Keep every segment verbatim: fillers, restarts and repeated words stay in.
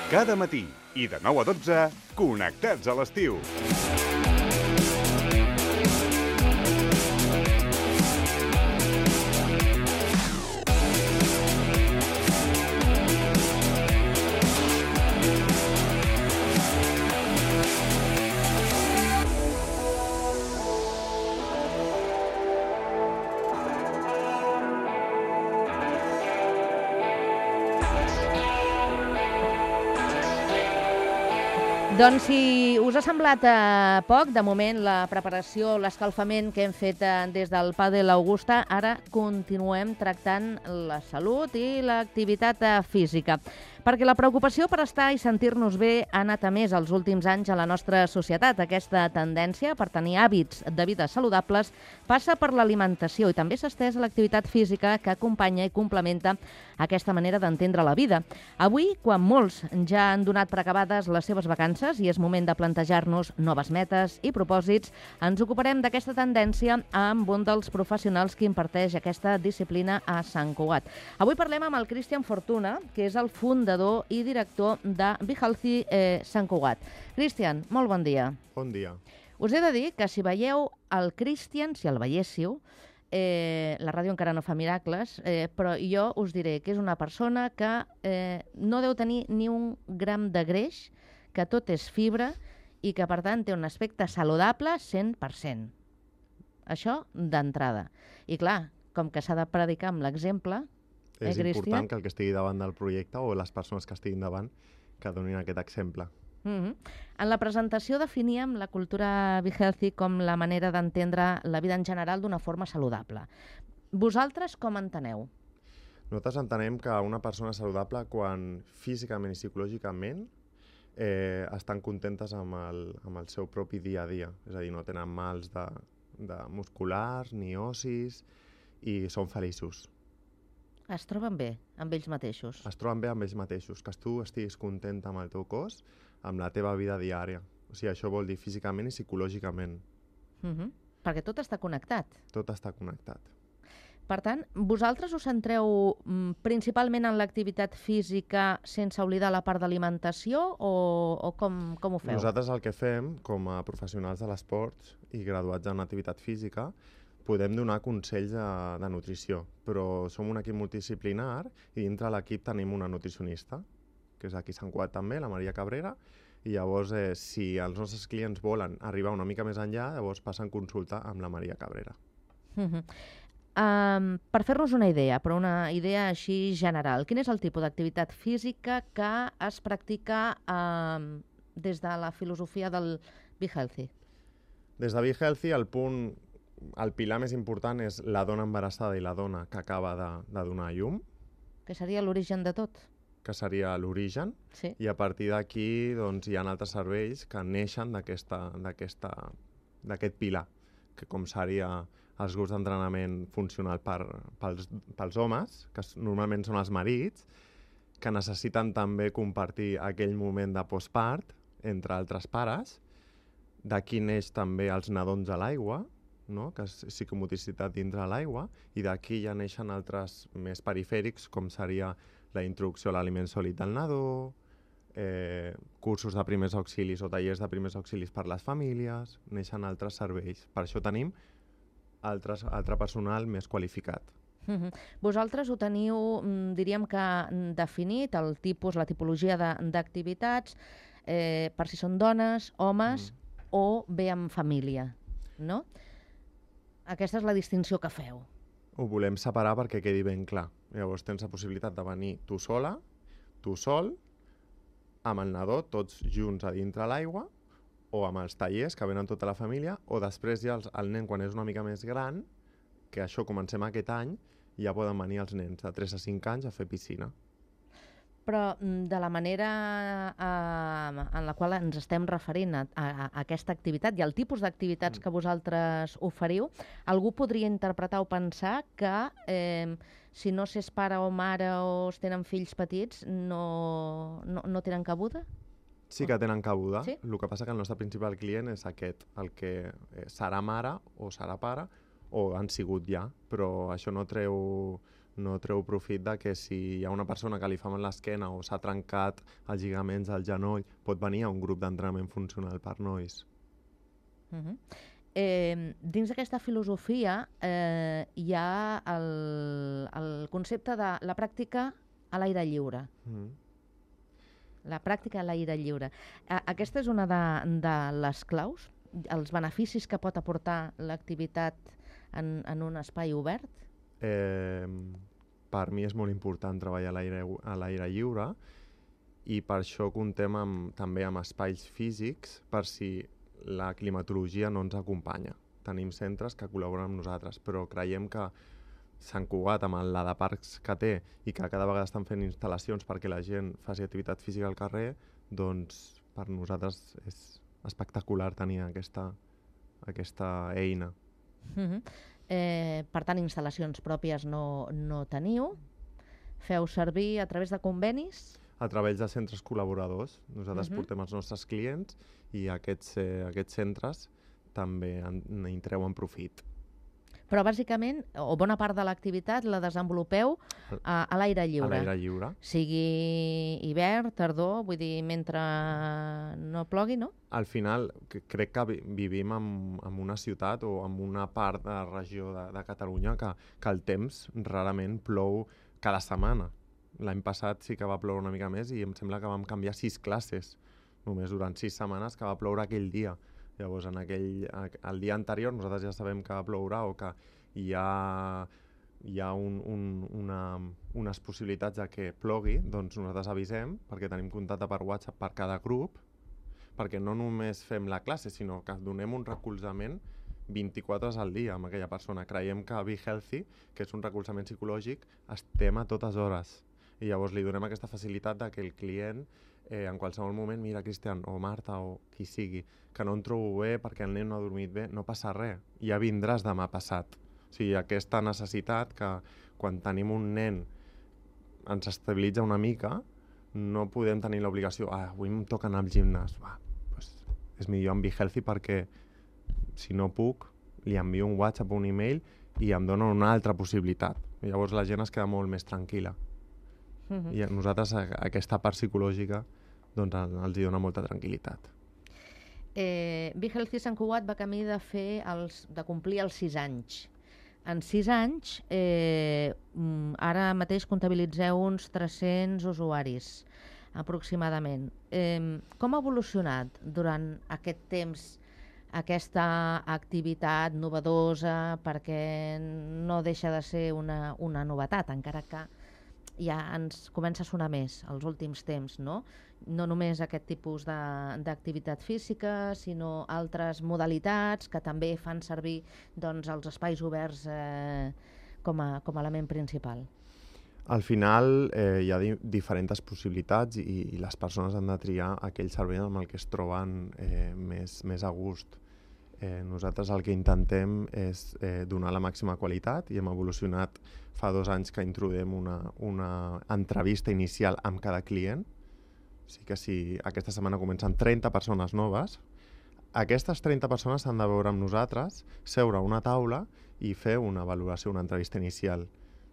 Cada matí i de nou a dotze, connectats a l'estiu. Doncs si us ha semblat eh, poc, de moment, la preparació, l'escalfament que hem fet eh, des del Padel Augusta, ara continuem tractant la salut i l'activitat eh, física. Perquè la preocupació per estar i sentir-nos bé ha anat a més els últims anys a la nostra societat. Aquesta tendència per tenir hàbits de vida saludables passa per l'alimentació i també s'ha estès a l'activitat física que acompanya i complementa aquesta manera d'entendre la vida. Avui, quan molts ja han donat per acabades les seves vacances i és moment de plantejar-nos noves metes i propòsits, ens ocuparem d'aquesta tendència amb un dels professionals que imparteix aquesta disciplina a Sant Cugat. Avui parlem amb el Cristian Fortuna, que és el fundador i director de Be Healthy eh, Sant Cugat. Cristian, molt bon dia. Bon dia. Us he de dir que si veieu el Cristian, si el veiéssiu, eh, la ràdio encara no fa miracles, eh, però jo us diré que és una persona que eh, no deu tenir ni un gram de greix, que tot és fibra i que, per tant, té un aspecte saludable cent per cent. Això d'entrada. I clar, com que s'ha de predicar amb l'exemple, és eh, important que el que estigui davant del projecte o les persones que estiguin davant que donin aquest exemple. Mm-hmm. En la presentació definíem la cultura Be Healthy com la manera d'entendre la vida en general d'una forma saludable. Vosaltres com enteneu? Nosaltres entenem que una persona saludable quan físicament i psicològicament eh, estan contentes amb el, amb el seu propi dia a dia. És a dir, no tenen mals de, de musculars ni ossis i són feliços. Es troben bé amb ells mateixos? Es troben bé amb ells mateixos, que tu estiguis content amb el teu cos, amb la teva vida diària. O sigui, això vol dir físicament i psicològicament. Mm-hmm. Perquè tot està connectat. Tot està connectat. Per tant, vosaltres us centreu mm, principalment en l'activitat física sense oblidar la part d'alimentació o, o com, com ho feu? Nosaltres el que fem, com a professionals de l'esport i graduats en activitat física, podem donar consells de, de nutrició, però som un equip multidisciplinar i dintre l'equip tenim una nutricionista, que és aquí a Sant Cugat també, la Maria Cabrera, i llavors eh, si els nostres clients volen arribar una mica més enllà, llavors passen consulta amb la Maria Cabrera. Uh-huh. um, per fer-nos una idea, però una idea així general, quin és el tipus d'activitat física que es practica um, des de la filosofia del Be Healthy? Des de Be Healthy el punt el pilar més important és la dona embarassada i la dona que acaba de, de donar a llum. Que seria l'origen de tot. Que seria l'origen. Sí. I a partir d'aquí doncs, hi ha altres serveis que neixen d'aquest pilar, que com seria els grups d'entrenament funcional per, pels, pels homes, que normalment són els marits, que necessiten també compartir aquell moment de postpart entre altres pares. D'aquí neix també els nadons a l'aigua, no? Que és psicomotricitat dintre l'aigua, i d'aquí ja neixen altres més perifèrics, com seria la introducció a l'aliment sòlid del nadó, eh, cursos de primers auxilis o tallers de primers auxilis per les famílies, neixen altres serveis. Per això tenim altres, altre personal més qualificat. Mm-hmm. Vosaltres ho teniu, diríem que definit, el tipus, la tipologia d'activitats, eh, per si són dones, homes mm. o bé amb família, no? Aquesta és la distinció que feu. Ho volem separar perquè quedi ben clar. Llavors tens la possibilitat de venir tu sola, tu sol, amb el nadó, tots junts a dintre l'aigua, o amb els tallers que venen tota la família, o després ja el, el nen, quan és una mica més gran, que això comencem aquest any, ja poden venir els nens de tres a cinc anys a fer piscina. Però de la manera eh, en la qual ens estem referint a, a, a aquesta activitat i al tipus d'activitats que vosaltres oferiu, algú podria interpretar o pensar que eh, si no s'és pare o mare o es tenen fills petits no, no, no tenen cabuda? Sí que tenen cabuda. Sí? El que passa que el nostre principal client és aquest, el que serà mare o serà pare o han sigut ja, però això no treu, no treu profit de que si hi ha una persona que li fa mal l'esquena o s'ha trencat els lligaments al genoll, pot venir a un grup d'entrenament funcional per nois. Uh -huh. eh, dins d'aquesta filosofia eh, hi ha el, el concepte de la pràctica a l'aire lliure. Mm. La pràctica a l'aire lliure. A, aquesta és una de, de les claus, els beneficis que pot aportar l'activitat en, en un espai obert? Eh, per mi és molt important treballar a l'aire a l'aire lliure i per això contem amb, també amb espais físics per si la climatologia no ens acompanya. Tenim centres que col·laboren amb nosaltres, però creiem que Sant Cugat, amb la de parcs que té i que cada vegada estan fent instal·lacions perquè la gent faci activitat física al carrer, doncs per nosaltres és espectacular tenir aquesta, aquesta eina. Uh-huh. eh, per tant, instal·lacions pròpies no, no teniu. Feu servir a través de convenis? A través de centres col·laboradors. Nosaltres Uh-huh. portem els nostres clients i aquests, eh, aquests centres també en, en treuen profit. Però bàsicament, o bona part de l'activitat la desenvolupeu a, a l'aire lliure. A l'aire lliure. Sigui hivern, tardor, vull dir, mentre no plogui, no? Al final, que- crec que vi- vivim en, en una ciutat o en una part de la regió de, de Catalunya que, que el temps rarament plou cada setmana. L'any passat sí que va ploure una mica més i em sembla que vam canviar sis classes, només durant sis setmanes que va ploure aquell dia. Llavors, en aquell, el dia anterior nosaltres ja sabem que plourà o que hi ha, hi ha un, un, una, unes possibilitats de que plogui, doncs nosaltres avisem perquè tenim contacte per WhatsApp per cada grup, perquè no només fem la classe, sinó que donem un recolzament vint-i-quatre hores al dia amb aquella persona. Creiem que Be Healthy, que és un recolzament psicològic, estem a totes hores. I llavors li donem aquesta facilitat de que el client eh, en qualsevol moment, mira, Cristian o Marta o qui sigui, que no em trobo bé perquè el nen no ha dormit bé, no passa res, ja vindràs demà passat. O sigui, aquesta necessitat que quan tenim un nen ens estabilitza una mica, no podem tenir l'obligació, ah, avui em toca anar al gimnàs, va, pues, és millor en Be Healthy perquè si no puc, li envio un WhatsApp o un email i em donen una altra possibilitat. I llavors la gent es queda molt més tranquil·la. Uh-huh. I a nosaltres a, aquesta part psicològica doncs, els hi dona molta tranquil·litat. Eh, Be Healthy Sant Cugat va camí de, fer els, de complir els sis anys. En sis anys, eh, ara mateix comptabilitzeu uns tres-cents usuaris, aproximadament. Eh, com ha evolucionat durant aquest temps aquesta activitat novedosa, perquè no deixa de ser una, una novetat, encara que ja ens comença a sonar més els últims temps, no? No només aquest tipus d'activitat física, sinó altres modalitats que també fan servir doncs, els espais oberts eh, com, a, com a element principal. Al final eh, hi ha di diferents possibilitats i, i les persones han de triar aquell servei amb el que es troben eh, més, més a gust. Eh, nosaltres el que intentem és eh, donar la màxima qualitat i hem evolucionat fa dos anys que introduïm una, una entrevista inicial amb cada client. O sigui que si aquesta setmana comencen trenta persones noves, aquestes trenta persones s'han de veure amb nosaltres, seure a una taula i fer una valoració, una entrevista inicial,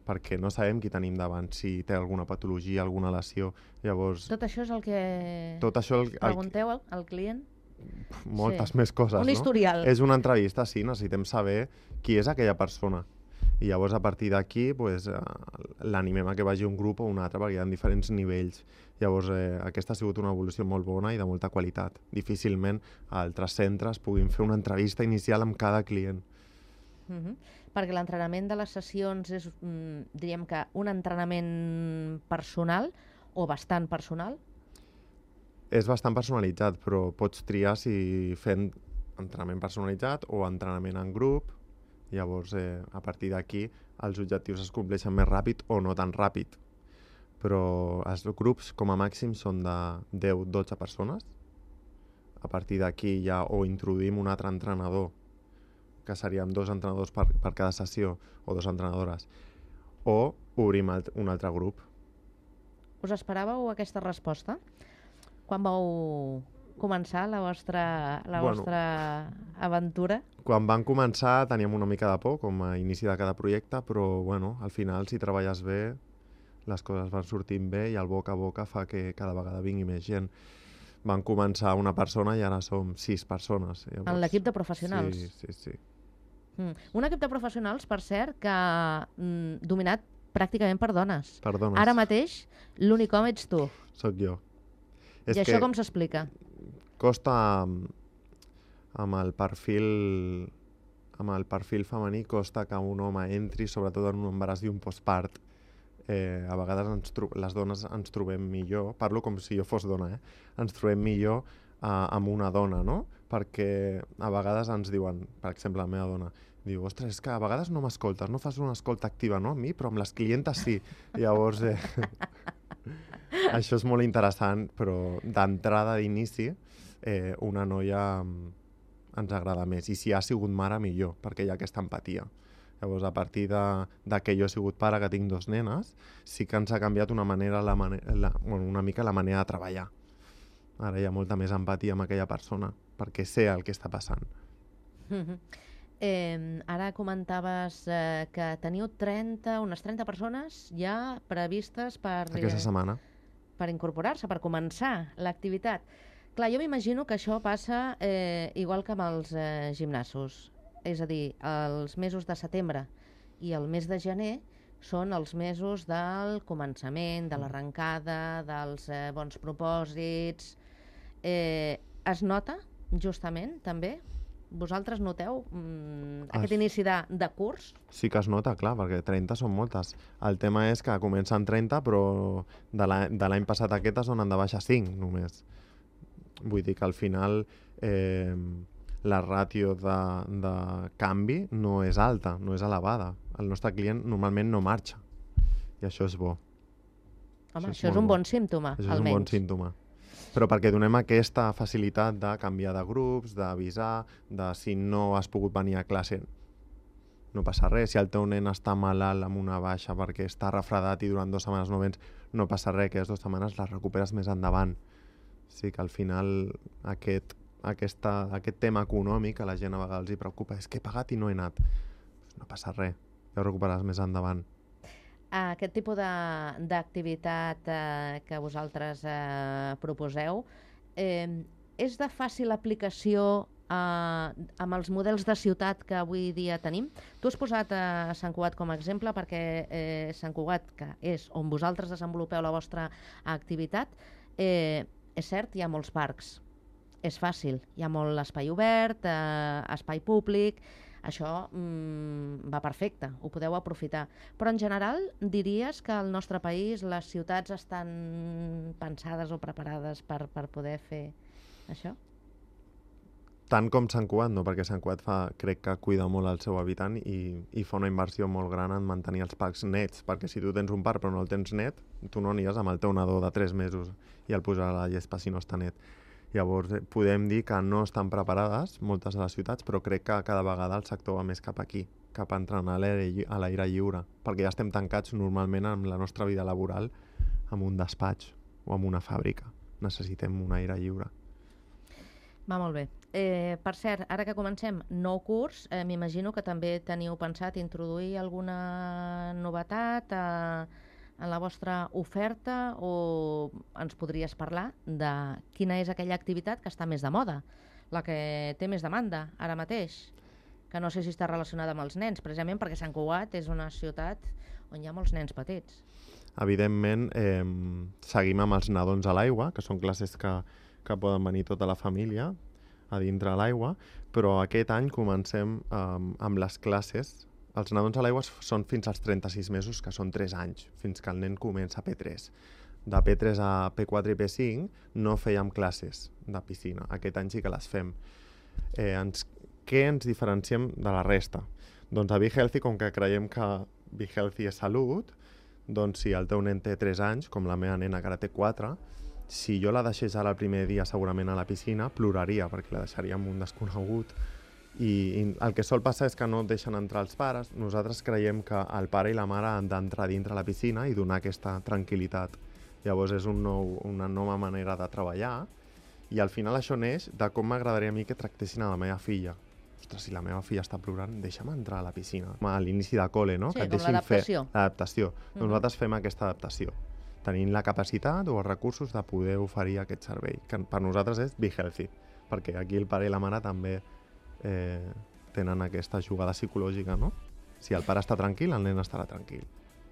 perquè no sabem qui tenim davant, si té alguna patologia, alguna lesió. Llavors, tot això és el que tot això el, el, pregunteu al, al client? Moltes sí. més coses, un no? historial. És una entrevista, sí, necessitem saber qui és aquella persona. I llavors a partir d'aquí pues, l'animem a que vagi un grup o un altre, perquè hi ha diferents nivells. Llavors eh, aquesta ha sigut una evolució molt bona i de molta qualitat. Difícilment altres centres puguin fer una entrevista inicial amb cada client. Uh -huh. Perquè l'entrenament de les sessions és, mm, diríem que, un entrenament personal o bastant personal? És bastant personalitzat, però pots triar si fent entrenament personalitzat o entrenament en grup. Llavors, eh, a partir d'aquí, els objectius es compleixen més ràpid o no tan ràpid. Però els grups, com a màxim, són de deu a dotze persones. A partir d'aquí ja o introduïm un altre entrenador, que seríem dos entrenadors per, per cada sessió, o dos entrenadores, o obrim alt, un altre grup. Us esperàveu aquesta resposta? Quan vau començar la vostra, la Bueno. vostra aventura? Quan van començar teníem una mica de por, com a inici de cada projecte, però bueno, al final, si treballes bé, les coses van sortint bé i el boca a boca fa que cada vegada vingui més gent. Van començar una persona i ara som sis persones. Llavors, En l'equip de professionals? Sí, sí, sí. Mm. Un equip de professionals, per cert, que mm, dominat pràcticament per dones. Per dones. Ara mateix, l'únic home ets tu. Soc jo. I això com s'explica? Costa, amb, amb el perfil amb el perfil femení, costa que un home entri, sobretot en un embaràs i un postpart. Eh, a vegades ens les dones ens trobem millor, parlo com si jo fos dona, eh? ens trobem millor eh, amb una dona, no? Perquè a vegades ens diuen, per exemple, la meva dona, diu, ostres, és que a vegades no m'escoltes, no fas una escolta activa, no? A mi, però amb les clientes sí. Llavors, eh, això és molt interessant, però d'entrada, d'inici, eh, una noia ens agrada més. I si ha sigut mare, millor, perquè hi ha aquesta empatia. Llavors, a partir de, de que jo he sigut pare, que tinc dos nenes, sí que ens ha canviat una, manera, la mane la, bueno, una mica la manera de treballar. Ara hi ha molta més empatia amb aquella persona, perquè sé el que està passant. Mm-hmm. eh, ara comentaves eh, que teniu trenta, unes trenta persones ja previstes per, Aquesta setmana. per incorporar-se, per començar l'activitat. Clar, jo m'imagino que això passa eh, igual que amb els eh, gimnasos. És a dir, els mesos de setembre i el mes de gener són els mesos del començament, de l'arrencada, dels eh, bons propòsits. Eh, es nota, justament, també? Vosaltres noteu mm, aquest Es... inici de, de curs? Sí que es nota, clar, perquè trenta són moltes. El tema és que comencen trenta, però de l'any passat aquest es donen de baixa cinc, només. Vull dir que al final eh, la ràtio de, de canvi no és alta, no és elevada. El nostre client normalment no marxa, i això és bo. Home, això, això és un bon símptoma, això almenys. Això és un bon símptoma. Però perquè donem aquesta facilitat de canviar de grups, d'avisar, de si no has pogut venir a classe, no passa res. Si el teu nen està malalt amb una baixa perquè està refredat i durant dues setmanes no vens, no passa res, que les dues setmanes les recuperes més endavant. Sí que al final aquest, aquesta, aquest tema econòmic a la gent a vegades els hi preocupa, és que he pagat i no he anat. No passa res, ja ho recuperaràs més endavant. Aquest tipus d'activitat eh, que vosaltres eh, proposeu eh, és de fàcil aplicació eh, amb els models de ciutat que avui dia tenim? Tu has posat a Sant Cugat com a exemple perquè eh, Sant Cugat, que és on vosaltres desenvolupeu la vostra activitat, eh, és cert, hi ha molts parcs. És fàcil, hi ha molt espai obert, eh, espai públic. Això mm, va perfecte, ho podeu aprofitar. Però en general diries que al nostre país les ciutats estan pensades o preparades per, per poder fer això? Tant com Sant Cugat, no, perquè Sant Cugat fa, crec que cuida molt el seu habitant i, i fa una inversió molt gran en mantenir els parcs nets, perquè si tu tens un parc però no el tens net, tu no aniràs amb el teu nadó de tres mesos i el posarà a la gespa si no està net. Llavors, podem dir que no estan preparades moltes de les ciutats, però crec que cada vegada el sector va més cap aquí, cap a entrenar a l'aire lliure, perquè ja estem tancats normalment amb la nostra vida laboral en un despatx o en una fàbrica. Necessitem un aire lliure. Va molt bé. Eh, per cert, ara que comencem nou curs, eh, m'imagino que també teniu pensat introduir alguna novetat eh, en la vostra oferta, o ens podries parlar de quina és aquella activitat que està més de moda, la que té més demanda ara mateix, que no sé si està relacionada amb els nens, precisament perquè Sant Cugat és una ciutat on hi ha molts nens petits. Evidentment, eh, seguim amb els nadons a l'aigua, que són classes que, que poden venir tota la família a dintre a l'aigua, però aquest any comencem eh, amb les classes. Els nadons a l'aigua són fins als trenta-sis mesos, que són tres anys, fins que el nen comença a P tres. De P tres a P quatre i P cinc no fèiem classes de piscina. Aquest any sí que les fem. Eh, ens, què ens diferenciem de la resta? Doncs a Be Healthy, com que creiem que Be Healthy és salut, doncs si el teu nen té tres anys, com la meva nena que ara té quatre, si jo la deixés ara el primer dia segurament a la piscina, ploraria, perquè la deixaria amb un desconegut. I, i el que sol passar és que no deixen entrar els pares. Nosaltres creiem que el pare i la mare han d'entrar dintre la piscina i donar aquesta tranquil·litat. Llavors és un nou, una nova manera de treballar I al final això neix de com m'agradaria a mi que tractessin a la meva filla. Ostres, si la meva filla està plorant, deixa'm entrar a la piscina. A l'inici de col·le, no? Sí, que et com deixin l'adaptació. fer l'adaptació. Mhm. Doncs nosaltres fem aquesta adaptació, tenint la capacitat o els recursos de poder oferir aquest servei, que per nosaltres és Be Healthy, perquè aquí el pare i la mare també eh, tenen aquesta jugada psicològica, no? Si el pare està tranquil, el nen estarà tranquil.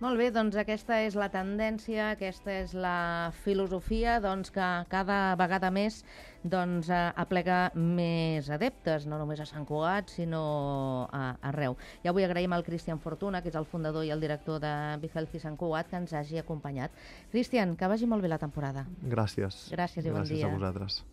Molt bé, doncs aquesta és la tendència, aquesta és la filosofia doncs, que cada vegada més doncs, eh, aplega més adeptes, no només a Sant Cugat, sinó a, arreu. Ja vull agraïm al Cristian Fortuna, que és el fundador i el director de Be Healthy Sant Cugat, que ens hagi acompanyat. Cristian, que vagi molt bé la temporada. Gràcies. Gràcies i bon dia. Gràcies a vosaltres.